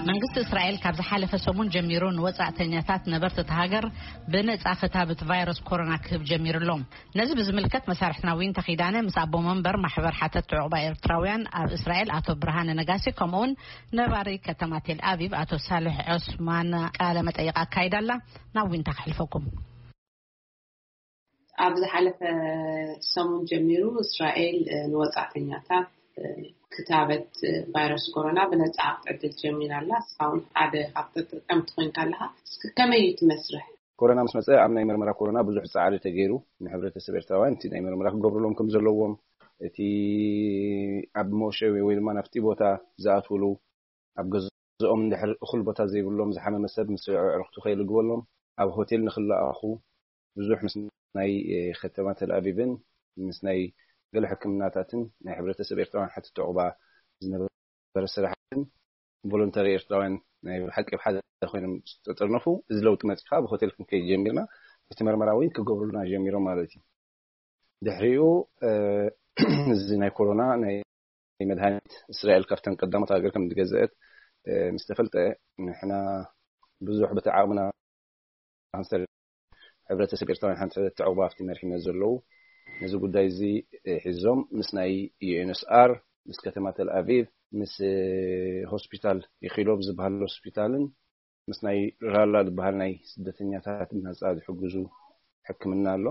መንግስቲ እስራኤል ካብ ዝሓለፈ ሰሙን ጀሚሩ ንወጻእተኛታት ነበርቲ እታ ሃገር ብነጻ ክታብት ቫይረስ ኮሮና ክህብ ጀሚሩ ኣሎ። ነዚ ብዝምልከት መሳርሕትና ዊንታ ኪዳነ ምስ ኣቦ መንበር ማሕበር ሓተት ዕቑባ ኤርትራውያን ኣብ እስራኤል ኣቶ ብርሃነ ነጋሲ፣ ከምኡውን ነባሪ ከተማ ቴል ኣቪቭ ኣቶ ሳልሕ ዑስማን ቃለ መጠይቕ ኣካይዳ ኣላ። ናብ ዊንታ ክሕልፈኩም። ኣብ ዝሓለፈ ሰሙን ጀሚሩ እስራኤል ንወጻእተኛታት ክታበት ቫይረስ ኮሮና ብነጻ ክትዕድል ጀሚራ ኣላ። እስኻ እውን ሓደ ካብ ተጠቀምቲ ኮይንካ ኣለኻ። እስኪ ከመይ እዩ እቲ መስርሕ? ኮሮና ምስ መጸ ኣብ ናይ መርመራ ኮሮና ብዙሕ ጻዕሪ ተገይሩ። ንሕብረተሰብ ኤርትራውያን እቲ ናይ መርመራ ክገብሩሎም ከም ዘለዎም፣ እቲ ኣብ መወሸቢ ወይ ድማ ናብቲ ቦታ ዝኣትውሉ ኣብ ገዝኦም እንድሕር እኹል ቦታ ዘይብሎም ዝሓመመ ሰብ ምስ ኣዕሩኽቱ ከይልግበሎም ኣብ ሆቴል ንክለኣኹ ብዙሕ ምስ ናይ ከተማ ተልኣቪቭን ምስ ናይ ገለ ሕክምናታትን ናይ ሕብረተሰብ ኤርትራውያን ሓትት ዕቑባ ዝነበረ ስራሕትን ቮለንተሪ ኤርትራውያን ናይ ብሓቂ ብሓደ ኮይኖም ዝተጠርነፉ፣ እዚ ለውጢ መጺኻ ብሆቴል ክንከይድ ጀሚርና። እቲ መርመራ እውን ክገብሩልና ጀሚሮም ማለት እዩ። ድሕሪኡ እዚ ናይ ኮሮና ናይ መድሃኒት እስራኤል ካብተን ቀዳሞት ሃገር ከም ዝገዘአት ምስ ተፈልጠ፣ ንሕና ብዙሕ በቲ ዓቕምና ካንሰር ሕብረተሰብ ኤርትራውያን ሓንቲ ዕቑባ ኣብቲ መሪሕነት ዘለዉ ነዚ ጉዳይ እዚ ሒዞም ምስ ናይ ዩኤንኤስኣር፣ ምስ ከተማ ተልኣቪቭ፣ ምስ ሆስፒታል ኢኪሎቭ ዝበሃል ሆስፒታልን ምስ ናይ ራላ ዝበሃል ናይ ስደተኛታት ብነጻ ዝሕግዙ ሕክምና ኣሎ።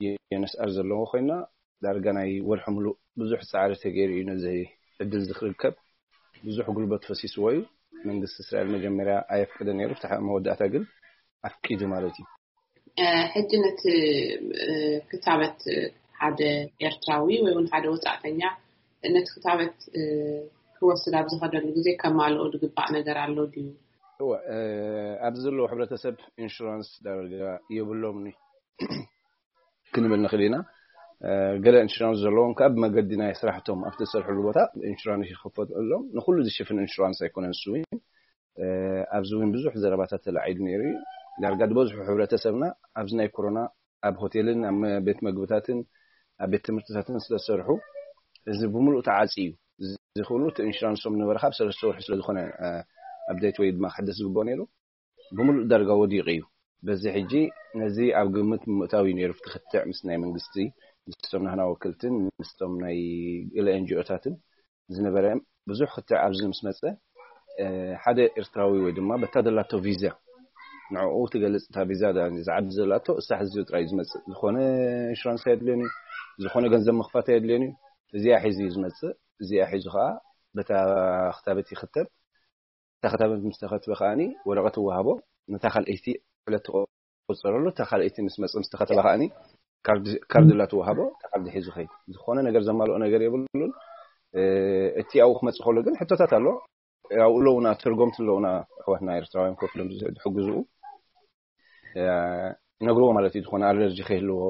ዩኤንኤስኣር ዘለዎ ኮይና ዳርጋ ናይ ወርሒ ሙሉእ ብዙሕ ጻዕሪ ተገይሩ እዩ ነዚ ዕድል እዚ ክርከብ። ብዙሕ ጉልበት ፈሲስዎ እዩ። መንግስቲ እስራኤል መጀመርያ ኣየፍቀደ ነይሩ፣ ፍትሓ መወዳእታ ግን ኣፍቂዱ ማለት እዩ። ሕጂ ነቲ ክታበት ሓደ ኤርትራዊ ወይ እውን ሓደ ወጻእተኛ ነቲ ክታበት ክወስድ ኣብ ዝኸደሉ ግዜ ከማልኦ ዝግባእ ነገር ኣሎ ድዩ? እወ፣ ኣብዚ ዘለዉ ሕብረተሰብ ኢንሹራንስ ዳርጋ የብሎምን እዩ ክንብል ንኽእል ኢና። ገለ ኢንሹራንስ ዘለዎም ከኣ ብመገዲ ናይ ስራሕቶም ኣብቲ ዝሰርሕሉ ቦታ ኢንሹራንስ ይኸፈተሎም። ንኹሉ ዝሽፍን ኢንሹራንስ ኣይኮነን እሱ እውን። ኣብዚ እውን ብዙሕ ዘረባታት ተላዒሉ ነይሩ እዩ። ዳርጋ ዝበዝሑ ሕብረተሰብና ኣብዚ ናይ ኮሮና ኣብ ሆቴልን ኣብ ቤት መግብታትን ኣብ ቤት ትምህርትታትን ስለዝሰርሑ እዚ ብምሉእ ተዓጽዩ እዩ። እዚ ኩሉ እቲ ኢንሹራንሶም ነበረ ካብ ሰለስተ ወርሒ ስለዝኾነ ኣፕዴት ወይ ድማ ክሕደስ ዝግብኦ ነይሩ ብምሉእ ዳርጋ ወዲቑ እዩ። በዚ ሕጂ ነዚ ኣብ ግምት ምእታው እዩ ነይሩ። እቲ ክትዕ ምስ ናይ መንግስቲ ምስቶም ናህና ወክልትን ምስቶም ናይ ገለ ኤንጂኦታትን ዝነበረ ብዙሕ ክትዕ ኣብዚ ምስ መጸ ሓደ ኤርትራዊ ወይ ድማ በታ ዘላቶ ቪዛ ንዕኡ ትገልጽ እታ ቪዛ ዝዓዲ ዘላቶ እሳ ሕዚ ጥራይ ዝመጽእ ዝኾነ ኢንሹራንስ ኣየድልዮን እዩ። ዝኾነ ገንዘብ ምኽፋት ኣየድልዮን እዩ። እዚኣ ሒዙ እዩ ዝመጽእ። እዚኣ ሒዙ ከዓ በታ ክታበት ይኽተብ። እታ ክታበት ምስ ተኸትበ ከዓኒ ወረቐት ይወሃቦ። ነታ ካልኣይቲ ዕለት ትቆጸረሉ። እታ ካልኣይቲ ምስ መጸ ምስ ተኸተበ ከዓኒ ካርድ ላ ትወሃቦ። እታ ካርድ ሒዙ ኸይድ። ዝኾነ ነገር ዘማልኦ ነገር የብሉን። እቲ ኣብኡ ክመጽእ ከሎ ግን ሕቶታት ኣሎ። ኣብኡ ኣለውና፣ ተርጎምቲ ኣለውና፣ ኣሕዋትና ኤርትራውያን ኮፍ ኢሎም ዝሕግዝኡ ይነግርዎ ማለት እዩ። ዝኾነ ኣለርጂ ከይህልዎ፣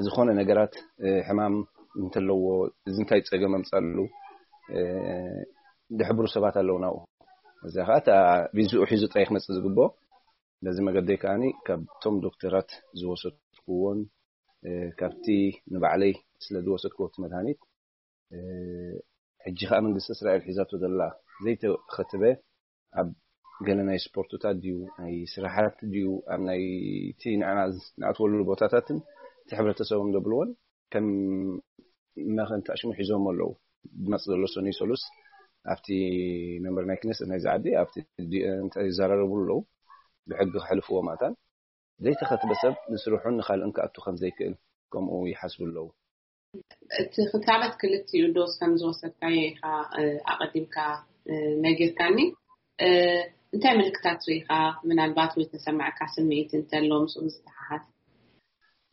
ዝኾነ ነገራት ሕማም እንተለዎ፣ እዚ እንታይ ጸገም ኣምጻሉ ዝሕብሩ ሰባት ኣለውና ኣብኡ። እዚኣ ከዓ እታ ቪዝኡ ሒዙ ጥራይ ክመጽእ ዝግብኦ። በዚ መገደይ ከዓኒ ካብቶም ዶክተራት ዝወሰድክዎን ካብቲ ንባዕለይ ስለ ዝወሰድክዎ እቲ መድሃኒት ሕጂ ከዓ መንግስቲ እስራኤል ሒዛቶ ዘላ ዘይተኸትበ ኣብ ገለ ናይ ስፖርትታት ድዩ ናይ ስራሓት ድዩ ኣብ ናይ እቲ ንዓና ንኣትወሉ ቦታታትን እቲ ሕብረተሰቦም ዘብልዎን ከም መኸንታ ሽሙ ሒዞም ኣለዉ። ዝመጽእ ዘሎ ሰኑይ ሰሉስ ኣብቲ መንበር ናይ ክነስ ናይ ዝዓዲ ኣብቲ ይዘራረቡ ኣለዉ። ብሕጊ ክሕልፍዎ ማእታን ዘይተኸትበ ሰብ ንስርሑን ንኻልእን ክኣቱ ከም ዘይክእል ከምኡ ይሓስቡ ኣለዉ። እቲ ክታበት ክልቲኡ ዶዝ ከም ዝወሰድካዮ ኢኻ ኣቐዲምካ ነጊርካኒ። እንታይ ምልክታት ርኢኻ? ምናልባት ወይ ተሰማዕካ ስምዒት እንተሎ ምስኡ ዝተሓሓዝ?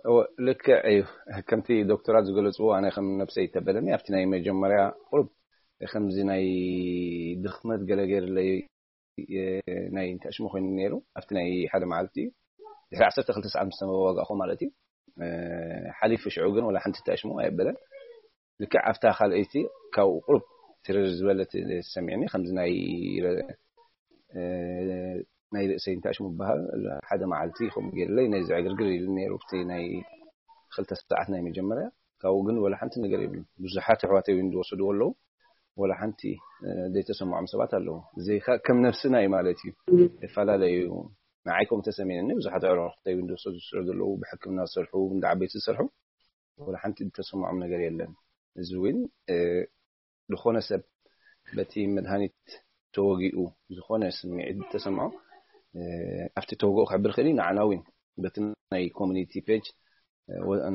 እወ፣ ልክዕ እዩ። ከምቲ ዶክተራት ዝገለፅዎ ኣነ ከም ነብሰይ ይተበለኒ ኣብቲ ናይ መጀመርያ ቁሩብ ከምዚ ናይ ድኽመት ገለ ገይርለይ ናይ እንታይ ሽሙ ኮይኑ ነይሩ ኣብቲ ናይ ሓደ መዓልቲ እዩ። ድሕሪ ዓሰርተ ክልተ ሰዓት ምስ ተመዋጋእኹ ማለት እዩ። ሓሊፉ ሽዑ ግን ወላ ሓንቲ እንታይ ሽሙ ኣየበለን። ልክዕ ኣብታ ካልኣይቲ ካብኡ ቁሩብ ትርር ዝበለት ሰሚዕኒ ከምዚ ናይ ናይ ርእሰይ እንታይ ሽሙ በሃል ሓደ መዓልቲ ከምኡ ገይርለይ ናይ ዝዕግርግር ኢሉ ነይሩ ኣብቲ ናይ ክልተ ሰዓት ናይ መጀመርያ። ካብኡ ግን ወላ ሓንቲ ነገር የብሉ። ብዙሓት ኣሕዋተይ እውን ዝወሰድዎ ኣለዉ። ወላ ሓንቲ ዘይተሰምዖም ሰባት ኣለዉ። እዚ ከም ነፍስና እዩ ማለት እዩ። ይፈላለዩ። ንዓይ ከም ተሰሚዕኒ ብዙሓት ኣዕሩኽተይ እውን ዝወሰዱ ዝስዕሩ ዘለዉ፣ ብሕክምና ዝሰርሑ፣ እንዳ ዓበይቲ ዝሰርሑ፣ ወላ ሓንቲ ዝተሰምዖም ነገር የለን። እዚ እውን ዝኾነ ሰብ በቲ መድሃኒት ተወጊኡ ዝኾነ ስምዒት ተሰምዖ፣ ኣብቲ ተወግኦ ክሕብር ክእል እዩ። ንዓና እውን በቲ ናይ ኮሚኒቲ ፔጅ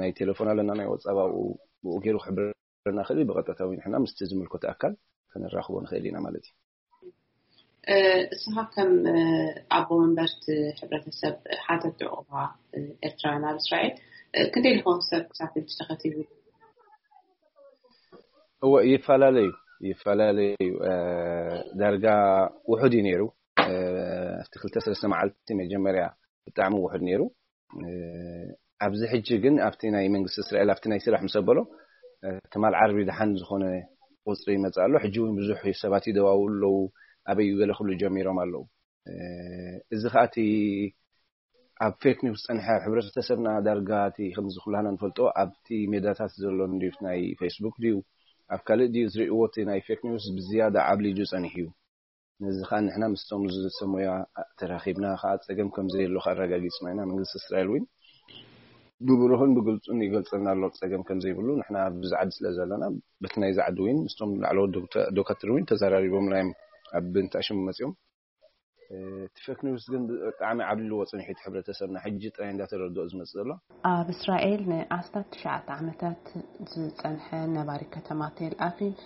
ናይ ቴሌፎን ኣለና፣ ናይ ወጻብ ኣብኡ ብኡ ገይሩ ክሕብረና ክእል እዩ። ብቐጥታ እውን ንሕና ምስቲ ዝምልከቶ ኣካል ከነራኽቦ ንኽእል ኢና ማለት እዩ። እስኻ ከም ኣቦ መንበርቲ ሕብረተሰብ ሓተት ዕቑባ ኤርትራውያን ኣብ እስራኤል ክንደይ ዝኾን ሰብ ክሳብ ሕጂ ተኸቲቡ? እወ ይፈላለዩ ይፈላለዩ። ዳርጋ ውሑድ እዩ ነይሩ። ኣብቲ ክልተ ሰለስተ መዓልቲ መጀመርያ ብጣዕሚ ውሑድ ነይሩ። ኣብዚ ሕጂ ግን ኣብቲ ናይ መንግስቲ እስራኤል ኣብቲ ናይ ስራሕ ምስ ኣበሎ ትማል ዓርቢ ደሓን ዝኾነ ቁፅሪ ይመፅእ ኣሎ። ሕጂ እውን ብዙሕ ሰባት ይደዋውሉ ኣለዉ። ኣበይ ገለ ክብሉ ጀሚሮም ኣለዉ። እዚ ከዓ እቲ ኣብ ፌክ ኒውስ ዝፀንሐ፣ ሕብረተሰብና ዳርጋ እቲ ከምዚ ኩላህና ንፈልጦ ኣብቲ ሜዳታት ዘሎ እንድዩ፣ ናይ ፌስቡክ ድዩ ኣብ ካልእ ድዩ ዝርእይዎ፣ እቲ ናይ ፌክ ኒውስ ብዝያዳ ዓብሊጁ ፀኒሑ እዩ። ነዚ ከዓ ንሕና ምስቶም ዝሰሙያ ተራኺብና ከዓ ፀገም ከም ዘየሎ ከዓ ኣረጋጊፅና ኢና። መንግስቲ እስራኤል እውን ብብሩህን ብግልፁን ይገልፀልና ኣሎ ፀገም ከም ዘይብሉ። ንሕና ኣብዚ ዓዲ ስለ ዘለና በቲ ናይዚ ዓዲ እውን ምስቶም ላዕለዎት ዶክተር እውን ተዘራሪቦምና እዮም። ኣብ ብንታሽም መፅኦም እቲ ፌክ ኒውስ ግን ብጣዕሚ ዓብሊልዎ ፅንሒት ሕብረተሰብና ሕጂ ጥራይ እንዳተረድኦ ዝመፅእ ዘሎ። ኣብ እስራኤል ንኣስታት ትሽዓተ ዓመታት ዝጸንሐ ነባሪ ከተማ ቴል ኣቪቭ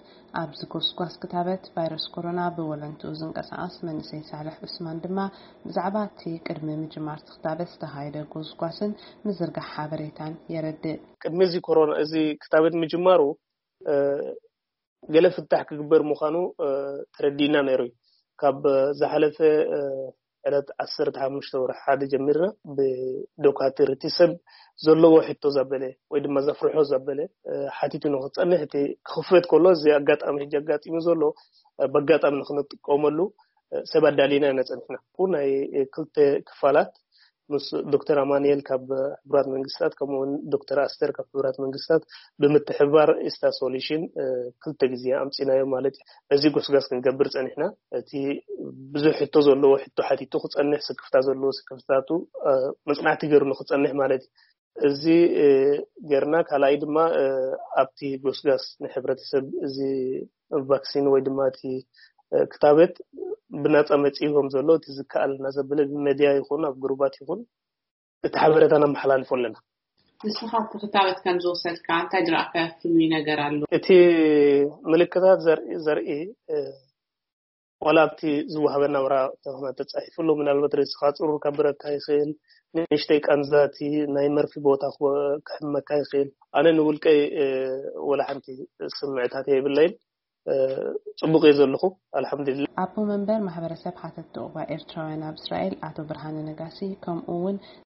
ኣብዚ ጎስጓስ ክታበት ቫይረስ ኮሮና ብወለንትኡ ዝንቀሳቐስ መንእሰይ ሳልሕ ዑስማን ድማ ብዛዕባ እቲ ቅድሚ ምጅማር እቲ ክታበት ዝተኻየደ ጎስጓስን ምዝርጋሕ ሓበሬታን የረድእ። ቅድሚ እዚ ኮሮና እዚ ክታበት ምጅማሩ ገለ ፍታሕ ክግበር ምዃኑ ተረዲእና ነይሩ እዩ። ካብ ዝሓለፈ ዕለት ዓሰርተ ሓሙሽተ ወርሒ ሓደ ጀሚርና ብዶካትር እቲ ሰብ ዘለዎ ሕቶ ዘበለ ወይ ድማ ዘፍርሖ ዘበለ ሓቲቱ ንክፀንሕ እቲ ክኽፈት ከሎ እዚ ኣጋጣሚ ሕጂ ኣጋጢሙ ዘሎ በጋጣሚ ንክንጥቀመሉ ሰብ ኣዳሊና ኢና ፀኒሕና። ናይ ክልተ ክፋላት ምስ ዶክተር ኣማንኤል ካብ ሕቡራት መንግስታት ከምኡ እውን ዶክተር ኣስተር ካብ ሕቡራት መንግስታት ብምትሕብባር ኢስታ ሶሉሽን ክልተ ግዜ ኣምፂናዮ ማለት እዩ። እዚ ጎስጋስ ክንገብር ፀኒሕና። እቲ ብዙሕ ሕቶ ዘለዎ ሕቶ ሓቲቱ ክፀንሕ፣ ስክፍታ ዘለዎ ስክፍታቱ መፅናዕቲ ገይሩ ንክፀንሕ ማለት እዩ። እዚ ገርና ካልኣይ ድማ ኣብቲ ጎስጋስ ንሕብረተሰብ እዚ ቫክሲን ወይ ድማ እቲ ክታበት ብናፃ መፂኡ ከም ዘሎ እቲ ዝከኣል እናዘበለ ብመድያ ይኹን ኣብ ግሩባት ይኹን እቲ ሓበሬታ ነመሓላልፎ ኣለና። ንስኻ እቲ ክታበት ከም ዝወሰድካ እንታይ ዝረኣካዮ ፍሉይ ነገር ኣሎ? እቲ ምልክታት ዘርኢ ዘርኢ ዋላ ኣብቲ ዝወሃበና ወረቐት ተጻሒፉ ኣሎ። ምናልባት ርእስኻ ጽሩር ከብረካ ይኽእል፣ ንእሽተይ ቃንዛ እቲ ናይ መርፊ ቦታ ክሕመካ ይኽእል። ኣነ ንውልቀይ ወላ ሓንቲ ስምዕታት የብለይን። ጽቡቕ እየ ዘለኹ ኣልሓምዱሊላ። ኣቦ መንበር ማሕበረሰብ ሓተትቲ ዑቕባ ኤርትራውያን ኣብ እስራኤል ኣቶ ብርሃነ ነጋሲ ከምኡ እውን